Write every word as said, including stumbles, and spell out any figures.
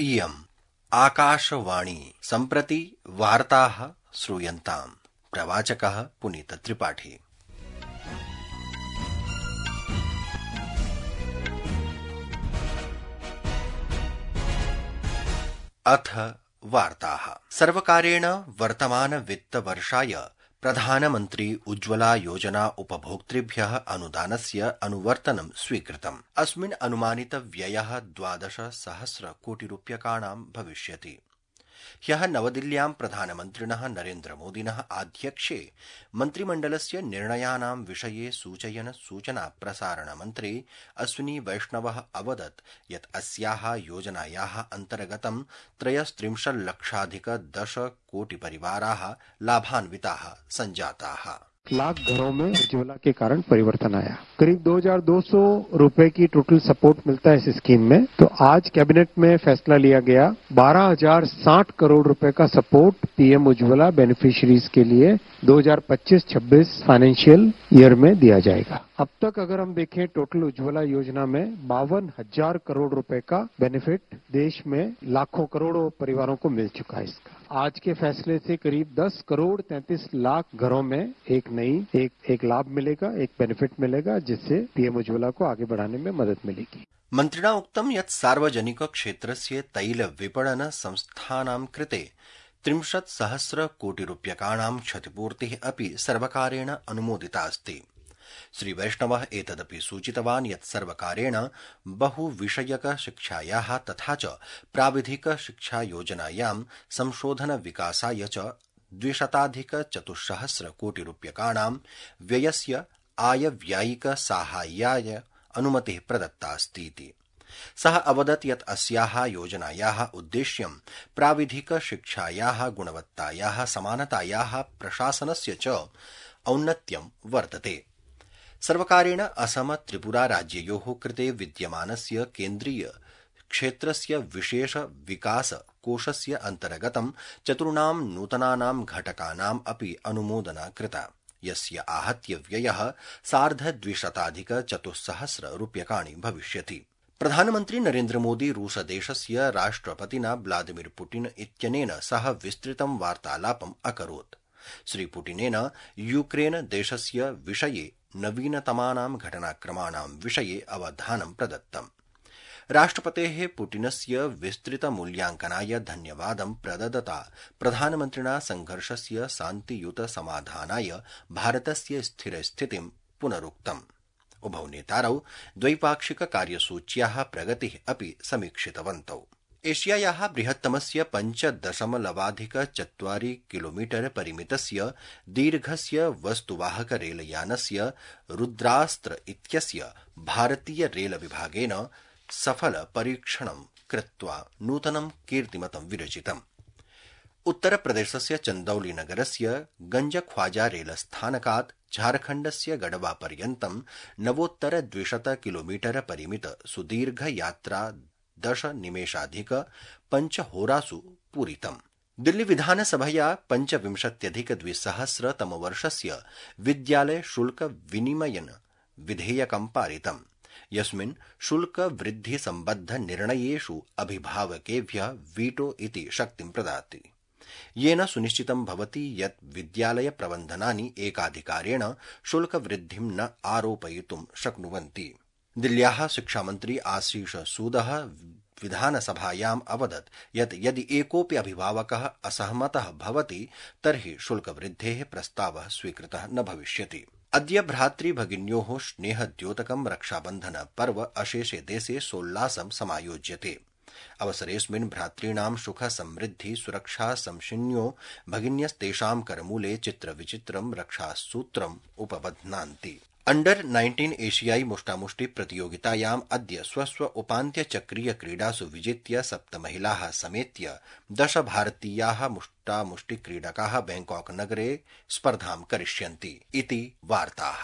इयम् आकाशवाणी सम्प्रति वार्ताः श्रूयन्ताम्। प्रवाचकः पुनीत त्रिपाठी। अथ वार्ताः। सर्वकारेण वर्तमान वित्तवर्षाय प्रधानमन्त्री उज्ज्वला योजना उपभोक्तृभ्यः अनुदानस्य अनुवर्तनं स्वीकृतम्। अस्मिन् अनुमानित व्ययः द्वादश सहस्र कोटिरूप्यकाणां भविष्यति। ह्यः नवदिल्ल्यां प्रधानमन्त्रिणः नरेन्द्रमोदिनः आध्यक्ष्ये मन्त्रिमण्डलस्य निर्णयानां विषये सूचयन् सूचना प्रसारण मन्त्री अश्विनी वैष्णवः अवदत् यत् अस्याः योजनायाः अन्तर्गतं त्रयस्त्रिंशल्लक्षाधिक दश कोटि परिवाराः लाभान्विताः सञ्जाताः। लाख घरों में उज्ज्वला के कारण परिवर्तन आया। करीब दो हज़ार दो सौ रुपए की टोटल सपोर्ट मिलता है इस स्कीम में। तो आज कैबिनेट में फैसला लिया गया बारह हजार साठ करोड़ रुपए का सपोर्ट पीएम उज्ज्वला बेनिफिशियरीज के लिए दो हज़ार पच्चीस छब्बीस फाइनेंशियल ईयर में दिया जाएगा। अब तक अगर हम देखें टोटल उज्ज्वला योजना में बावन हजार करोड़ रुपए का बेनिफिट देश में लाखों करोड़ों परिवारों को मिल चुका है। इसका आज के फैसले से करीब दस करोड़ तैंतीस लाख घरों में एक नई एक एक लाभ मिलेगा, एक बेनिफिट मिलेगा, जिससे पीएम उज्ज्वला को आगे बढ़ाने में मदद मिलेगी। मन्त्रिणा उक्तं यत् सार्वजनिक क्षेत्रस्य तैल विपणन संस्थानां कृते त्रिंशत् सहस्र कोटि रूप्यकाणां क्षतिपूर्तिः अपि सर्वकारेण अनुमोदिता अस्ति। श्री वैष्णवः एतदपि सूचितवान् यत् सर्वकारेण बहुविषयक शिक्षायाः तथा च प्राविधिक शिक्षा योजनायां संशोधन विकासाय च द्विशताधिक चतुस्सहस्र कोटि रूप्यकाणां व्ययस्य आयव्ययिक साहाय्याय अनुमतिः प्रदत्ता अस्ति। सः अवदत् यत् अस्याः योजनायाः उद्देश्यं प्राविधिक शिक्षायाः गुणवत्तायाः समानतायाः प्रशासनस्य च औन्नत्यं वर्तते। सर्वकारेण असम त्रिपुरा राज्ययोः कृते विद्यमानस्य केन्द्रीय क्षेत्रस्य विशेष विकास कोषस्य अन्तर्गतं चतुर्णां नूतनानां घटकानाम् अपि अनुमोदना कृता, यस्य आहत्य व्ययः सार्धद्विशताधिक चतुस्सहस्र रूप्यकाणि भविष्यति। प्रधानमन्त्री नरेन्द्रमोदी रूसदेशस्य राष्ट्रपतिना व्लादिमीर पुतिन इत्यनेन सह विस्तृतं वार्तालापम् अकरोत्। श्री पुतिनेन यूक्रेन देशस्य विषये नवीनतमानां घटनाक्रमाणां विषये अवधानं प्रदत्तम्। राष्ट्रपतेः पुतिनस्य विस्तृत मूल्यांकनाय धन्यवादं प्रददता प्रधानमन्त्रिणा संघर्षस्य शान्तियुत समाधानाय भारतस्य स्थिरस्थितिं पुनरुक्तम्। उभौ नेतारौ द्वैपाक्षिक कार्यसूच्याः प्रगतिः अपि समीक्षितवन्तौ। एशियायाः बृहत्तमस्य पञ्चदशमलवाधिक चत्वारि किलोमीटर परिमितस्य दीर्घस्य वस्तुवाहक रेलयानस्य रुद्रास्त्र इत्यस्य भारतीय रेल विभागेन सफल परीक्षणं कृत्वा नूतनं कीर्तिमतं विरचितम्। उत्तरप्रदेशस्य चन्दौली नगरस्य गंजख्वाजा रेलस्थानकात् झारखण्डस्य गढ़वा पर्यन्तं नवोत्तर द्विशत किलोमीटर परिमित सुदीर्घ यात्रा दश निमेषाधिक पञ्चहोरासु पूरितम्। दिल्ली विधानसभया पञ्चविंशत्यधिक द्विसहस्र तमवर्षस्य विद्यालय शुल्क विनिमयन विधेयकं पारितम्, यस्मिन् शुल्क वृद्धि सम्बद्ध निर्णयेषु अभिभावकेभ्यः वीटो इति शक्तिं प्रददाति, येन सुनिश्चितं भवति यत् विद्यालय प्रबन्धनानि एकाधिकारेण शुल्क वृद्धिं न आरोपयितुं शक्नुवन्ति। दिल्ल्याः शिक्षामन्त्री आशीष सूदः विधानसभायाम् अवदत् यत् यदि एकोऽपि अभिभावकः असहमतः भवति तर्हि शुल्कवृद्धेः प्रस्तावः स्वीकृतः न भविष्यति। अद्य भ्रातृभगिन्योः स्नेहद्योतकं रक्षाबन्धन पर्व अशेषे देशे सोल्लासं समायोज्यते। अवसरेऽस्मिन् भ्रातॄणां सुख समृद्धि सुरक्षा संशिन्यो भगिन्यस्तेषां करमूले चित्रविचित्रं रक्षासूत्रम् उपबध्नान्ति। अंडर नाइन्टीन एशियाई मुष्टामुष्टि प्रतियोगितायाम् अद्य स्वस्व उपान्त्यचक्रीय क्रीडासु विजित्य सप्त महिलाः समेत्य दश भारतीयाः मुष्टामुष्टि क्रीडकाः बैंकॉक नगरे स्पर्धां करिष्यन्ति इति वार्ताः।